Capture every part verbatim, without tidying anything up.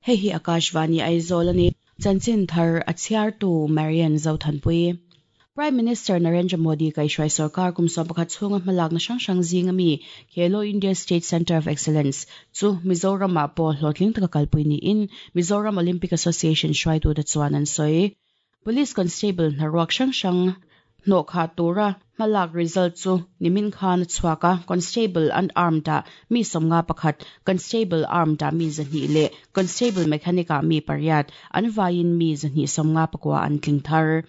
Hei hi Akashvani Aizawl ani. Chanchin thar a chhiartu Marian Zothanpui. Prime Minister Narendra Modi kaihhruai sarkar kum sawm pakhat chhunga hmalakna hrang hrang zinga mi Khelo India State Centre of Excellence chu Mizoram ah pawh hlawhtling taka kalpui niin Mizoram Olympic Association hruaitute chuan an sawi. Police Constable hnaruak hrang hrang hnawh khah tura hmalak result chu nimin khan a chhuak a, Constable unarmed ah mi sawmnga pakhat, Constable armed ah mi zahnih leh Constable mechanic ah mi pariat, an vaiin mi zahnih sawmnga pakua an tling thar.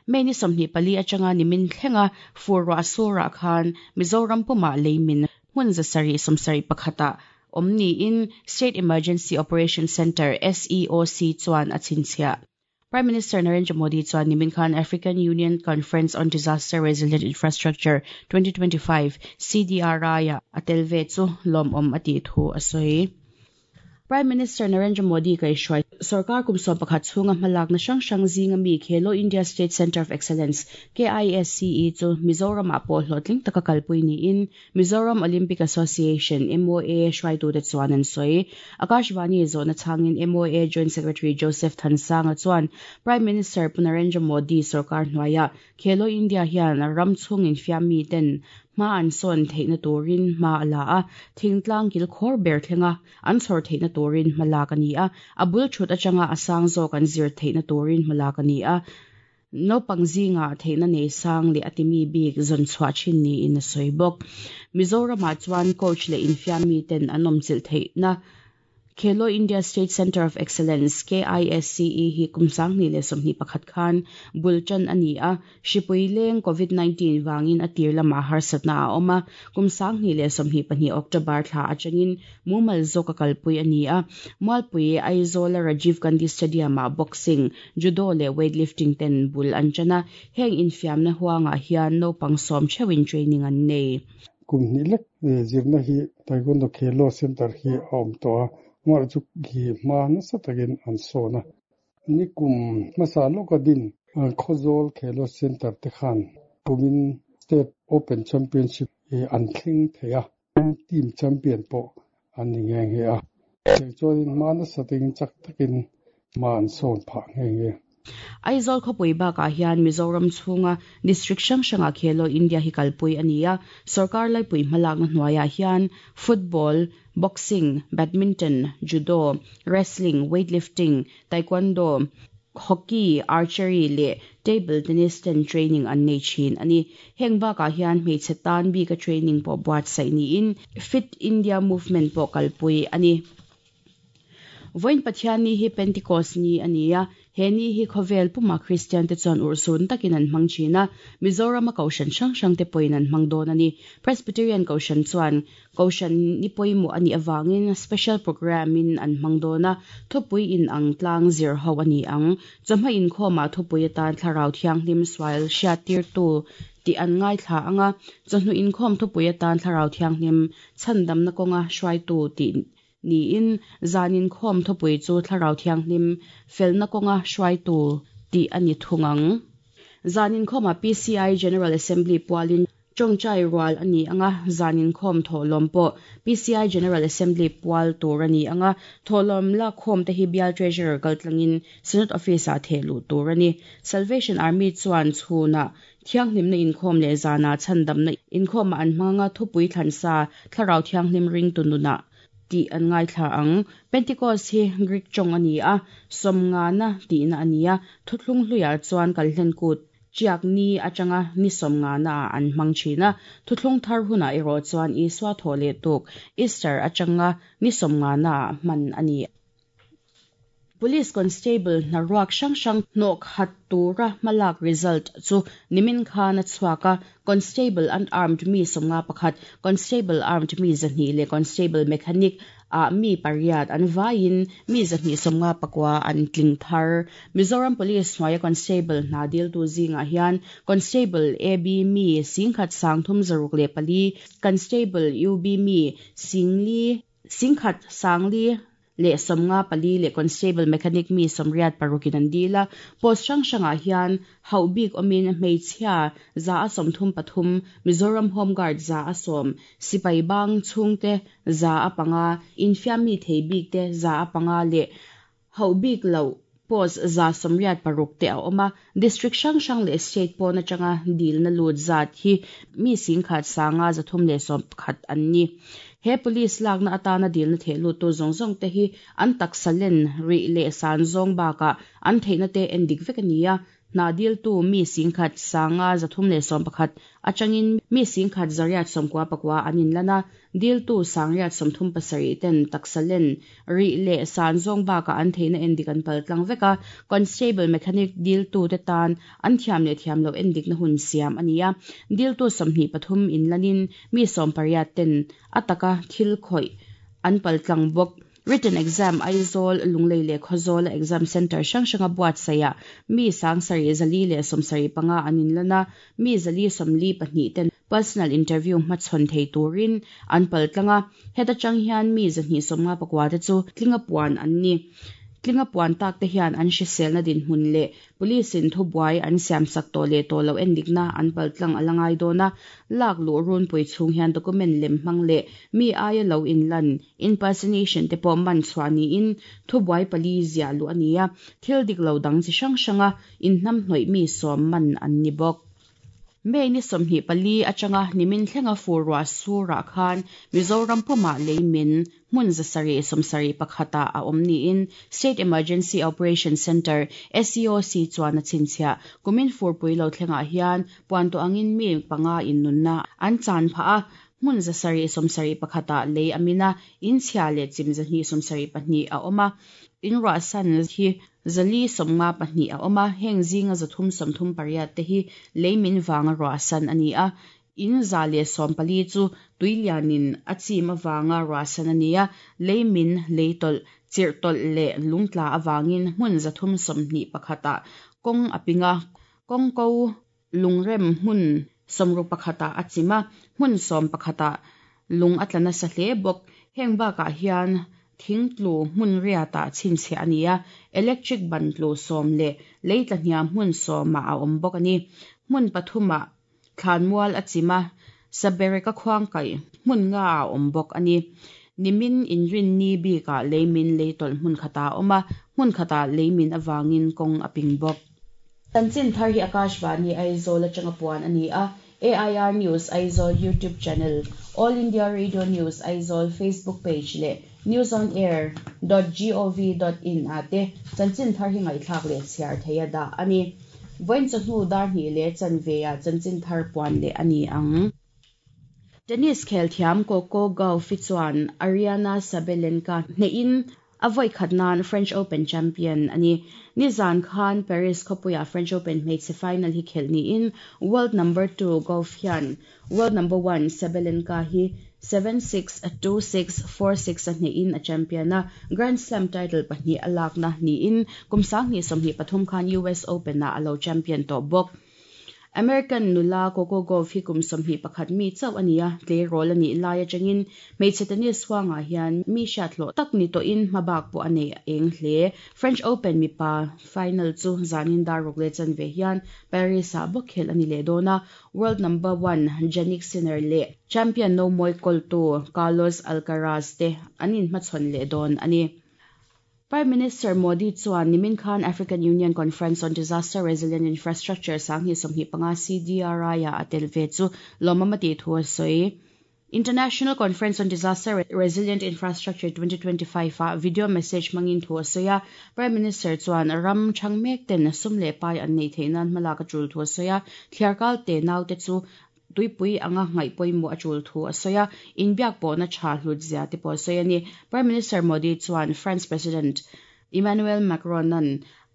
May ni sawmhnih pali atanga nimin thlenga fur ruah surah khan Mizoram pumah leimin hmun zasarih sawmsarih pakhatah awm niin State Emergency Operation Centre, S E O C, chuan a chhinchhiah. Prime Minister Narendra Modi chuan nimin khan African Union Conference on Disaster Resilient Infrastructure twenty twenty-five C D R I ah a tel ve chu lawmawm a tih thu a sawi. Prime Minister Narendra Modi kaihhruai sarkar kum sawm pakhat chhunga hmalakna hrang hrang zinga mi Khelo India State Centre of Excellence K I S C E chu Mizoram ah pawh hlawhtling taka kalpui niin Mizoram Olympic Association M O A hruaitute chuan an sawi. Akashvani zawhna chhangin M O A Joint Secretary Joseph Thansanga chuan Prime Minister Pu Narendra Modi sarkar hnuaiah Khelo India hian ram chhungin fiam mi ten hma an sawn theihna turin hma a la a, thingtlang kil khawr ber thlenga an chhawr theihna turin hma lak a ni a, a bul thut atanga a sang zawk an zir theihna turin hma lak a ni a, naupang zinga theihna nei sang leh a timi bik zawn chhuah thin niin a sawi bawk. Mizoramah chuan coach leh infiam mi ten an awm chilh theihna Khelo India State Centre of Excellence K I S C E hi kum sanghnih leh sawmhnih pakhat khan bul tan a ni a, hripui leng covid nineteen wangin a tir lamah harsatna a awm a, kum sanghnih leh sawmhnih pahnih October thla atangin mumal zawk a kalpui a ni a, Mualpui Aizawl Rajiv Gandhi Stadium ah boxing, judo leh weightlifting ten bul an tan a, heng infiamna huangah hian naupang sawm theuhin training an nei. Kum hnih lek zirna hi Taekwondo Khelo Center hi a awm tawh a, ngawr chu hi hma nasa takin an sawn a. Ni kum hmasa lawka din Khawzawl Khelo Center te khan kumin State Open Championship an thleng thei a, team champion pawh an ni nghe nghe a. Chuanin hma nasa takin chak takin hma an sawn phah nghe nghe. Aizawl khawpui bakah hian Mizoram chhunga district hrang hrangah Khelo India hi kalpui a ni a, sarkar laipui hmalakna hnuaiah hian football, boxing, badminton, judo, wrestling, weightlifting, taekwondo, hockey, archery leh table tennis ten training an nei thin a ni. Heng bakah hian hmeichhe tan bika training pawh buatsaih niin Fit India Movement pawh kalpui a ni. Voin Pathian ni hi Pentecost ni a ni a, he ni hi khawvel puma Christian te chuan urhsun takin an hmang thin a, Mizoram a kohhran hrang hrang te pawhin an hmang dawn a ni. Presbyterian kohhran chuan kohhran ni pawimawh a nih awangin special program in an hmang dawn a, thupui in ang tlang zir ho a ni ang. Chawhma inkhawmah thupui atan thlarau thianghlim sual hriat tirtu tih an ngaithla anga, chawhnu inkhawm thupui atan thlarau thianghlim chhandamna kawnga hruaitu tih niin zanin khawm thupui chu thlarau thianghlim felna kawnga hruaitu tih a ni thung ang. Zanin khawma P C I General Assembly pualin tawngtai rual a ni anga, zanin khawm thawhlawm pawh P C I General Assembly pual tur a ni anga, thawhlawm la khawm te hi bial treasurer kaltlangin Senate Office ah thehluh tur a ni. Salvation Army chuan chhunah thianghlimna inkhawm leh zana chhandamna inkhawmah an hmanga thupui thlansa thlarau thianghlim ring tununah tih an ngaithla ang. Pentecost hi Greek tawng a ni a, sawmngana tihna a ni a, thuthlung hluiah chuan kalhlen kut chiak ni atanga ni sawmngana ah an hmang thin a, thuthlung thar hunah erawh chuan Isua thaw leh tuk Easter atanga ni sawmngana ah hman a ni. Police Constable hnaruak hrang hrang hnawh khat tura hmalak result chu nimin khan a chhuak a, Constable unarmed mi sawmnga pakhat, Constable armed mi zahnih leh Constable mechanic ah mi pariat an vaiin mi zahnih sawmnga pakua an tling thar. Mizoram Police hnuaia Constable hna diltu zingah hian Constable A B mi singkhat sangthum zaruk leh pali, Constable U B mi singli singkhat sangli leh sawmnga pali leh Constable mechanic mi sawmriat parukin an dil a, post hrang hrangah hian hauh bik awmin hmeichhia za a sawmthum pathum, Mizoram Home Guard za a sawm, sipai bang chhungte za a panga, infiam mi thei bik te za a panga leh Hau bik lo post za somriat paruk te a awma district hrang hrang leh state pawna changa dil na lut zat hi mi sing khat sanga zathum leh som khat an ni. He police lakna atana dil na the lut tu zawng zawng te hi an taksalen ri leh san zawng baka an theihna te endik vek ania. Na dil tu mi sing khat sanga zathum leh som pakhat atangin mi sing khat zariat somkwa pakwa anin lana dil tu sangriat somthum pasari ten taksalen ri leh san zawng baka an theihna endik an paltlang veka. Constable mechanic dil tu te tan an thiam leh thiam lo endik na hun siam ania. Dil tu somhni pathum in lanin mi som pariat ten ataka thil khoi an paltlang bok. Written exam Aizawl Lunglei le Khawzawl exam center hrang hranga buat saya mi sang sari zali le somsari panga anin lana mi zali somli pahnih ten personal interview hmachhawn thei turin an paltlanga. Heta chang hian mi zahnih sawmnga pakua te chu tlinga puan an ni. Tlinga puan tak te hian an hrisel na din hmun le police in thubuai an siam sak to le to lo endikna an paltlang alangai dona. Lak lu run pui chung hian document lem hmang le mi aia lo in lan impersonation te pawh man chhuani in thubuai pali zia lu ania. Thil dik lo dang chi hrang hranga in hnam hnawih mi sawm man an ni bawk. May ni somhnih pali atanga nimin thlenga furwa sura khan Mizoram puma leimin hmun zasari somsari pakhata a awm niin State Emergency Operation Center S E O C chuan a chhinchhiah. Kumin furpui lo thlenga hian puan to angin mi panga in nunna an chan pha a. Hmun zasari somsari pakhata lei amina in chhia le chim zahni somsari pahnih a awma. In ra san hi zali somnga pahnih a awma heng zinga zathum somthum pariat te hi leimin wanga ra san ani a. In za le som pali chu tuilianin a chim awanga ra san ani a. Leimin leitol chirtol le lungtla awangin hmun zathum somhni pakhata kong apinga kong ko lungrem hmun somru pakhata achima hmun som pakhata lung atlana sa hle bok. Heng baka hian thingtlu hmun riata chhinchhe ania. Electric ban tlu som le leitla hniam hmun sawma a awm bawk ani. Hmun pathuma thlanmual achima sabereka khuang kai hmun nga a awm bawk ani. Nimin inrin ni bika leimin leitol hmun khata awma hmun khata leimin awangin kong aping bawk. Chanchin thar hi Akashvani Aizawl atanga puan ani a. A I R News Aizawl YouTube channel, All India Radio News Aizawl Facebook page le news on air dot gov dot in ate chanchin thar hi ngai thlak le chhiar theia da ani. Voin chahnu dar ni le chanveya chanchin thar puan le ani ang. Tennis khel thiam Coco Gauff chuan Ariana Sabalenka hne in avoi khatnan French Open champion ani. Nizan Khan Paris khopuya French Open hmeichhe final hi khelni in world number two Gauff hian world number one Sabalenka hi seven six two six four six a hne in a champion a. Grand Slam title pahnih alak na ni in kumsang ni somhnih pathum khan U S Open na alo champion to bawk. American nula Coco Gauff hi kum somhnih pakhat mi chauh ania tle rol ani lai atangin hmeichhe tennis huangah hian mi hriat hlawh tak ni tawhin hmabak pawh a nei eng hle. French Open mipa final chu zanin dar ruk le chanve hian Paris ah bawk khel ani leh dawn a. World number one Jannik Sinner leh champion no mawi kawltu Carlos Alcaraz te an inhmachhawn leh dawn ani. Prime Minister Modi chuan nimin khan African Union Conference on Disaster Resilient Infrastructure sanghi somhnih panga C D R I a atel ve chu lawmamati thu a sawi. International Conference on Disaster Resilient Infrastructure twenty twenty-five a video message mangin thu a sawi a. Prime Minister chuan ram thangmek ten sum le pai an nei theinan hmalak a tul thu a sawi a. Thliarkal te nau te chu tuipui anga ngai pawimawh a tul thu a sawi a. Inbiak pawhna tha hlut zia te pawh a sawi ani. Prime Minister Modi chuan France President Emmanuel Macron an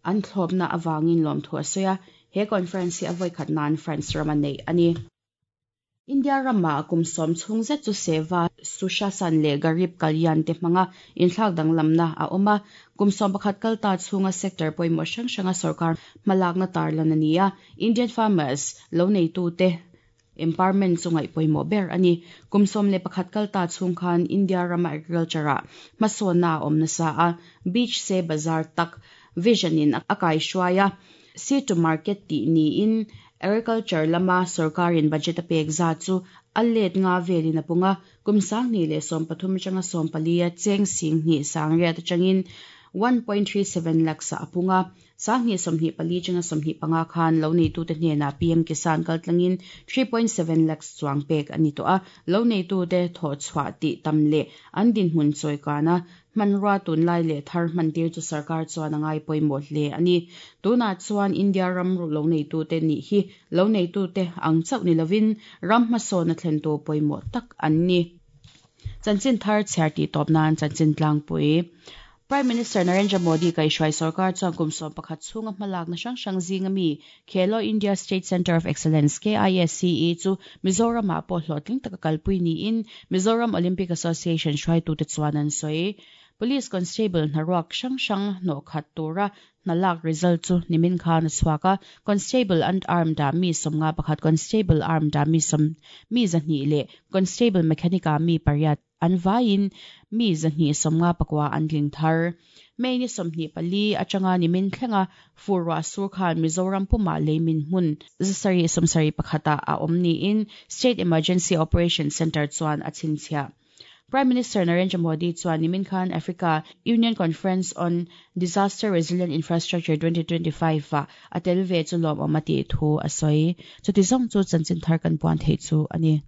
an thlawpna awangin lawm thu a sawi a. He conference hi a vawi khat nan France ram a nei ani. India rama kum sawm chhung zet chu seva Sushasan le Garib Kalyan te hmanga inthlak danglamna a awm a. Kum sawm pakhat kalta chhunga sector pawimawh hrang hranga sarkar hmalakna tarlan ani a. Indian farmers lo neitu te empowerment chu ngaih pawimawh ber ani. Kum sawm le pakhat kalta chhung khan India rama agriculture ah hmasawnna a awm nasa a. Beach se bazar tak vision in a kai hruai a. Sea to market tih niin agriculture lama sarkarin budget a pek za chu a let nga velin a punga. Kum sang ni le sawm pathum atanga sawm pali a cheng sing hnih sang riat atangin one point three seven lakhs ah a pung a. Sanghnih sawmhnih pali atanga sawmhnih panga khan lo neitute hnenah P M Kisan kaltlangin three point seven lakhs chuang pek a ni tawh a. Lo neitute thawhchhuah tih tam leh an dinhmun chawikana hmanrua tunlai leh thar hmantir chu sarkar chuan a ngai pawimawh hle a ni. Tunah chuan India ram lo neitute nih hi lo neitute ang chauh ni lovin ram hmasawn a thlentu pawimawh tak an ni. Chanchin thar chhiar tih tawp nan chanchin tlangpui. Prime Minister Narendra Modi kaihhruai sarkar chuan kum sawm pakhat chhunga hmalakna hrang hrang zinga mi Khelo India State Centre of Excellence K I S C E chu Mizoramah pawh hlawhtling taka kalpui niin Mizoram Olympic Association hruaitute chuan an sawi. Police Constable hnaruak hrang hrang hnawh khat tura hnalak result chu nimin khan a chhuak a. Constable Unarmed ah mi sawmnga pakhat, Constable Armed ah mi sawm mi zahnih leh Constable Mechanic ah mi pariat, an vaiin mi zahnih sawmnga pakua an tling thar. May ni sawmhnih pali atanga nimin thlenga fur ruah sur khan Mizoram pumah leimin hmun zasarih sawmsarih pakhata a awm niin State Emergency Operation Centre chuan a chhinchhiah. Prime Minister Narendra Modi chuan nimin khan Africa Union Conference on Disaster Resilient Infrastructure twenty twenty-five a a tel ve chu lawmawm a tih thu a sawi. Chuti zawng chu chanchin thar kan puan thei chu a ni.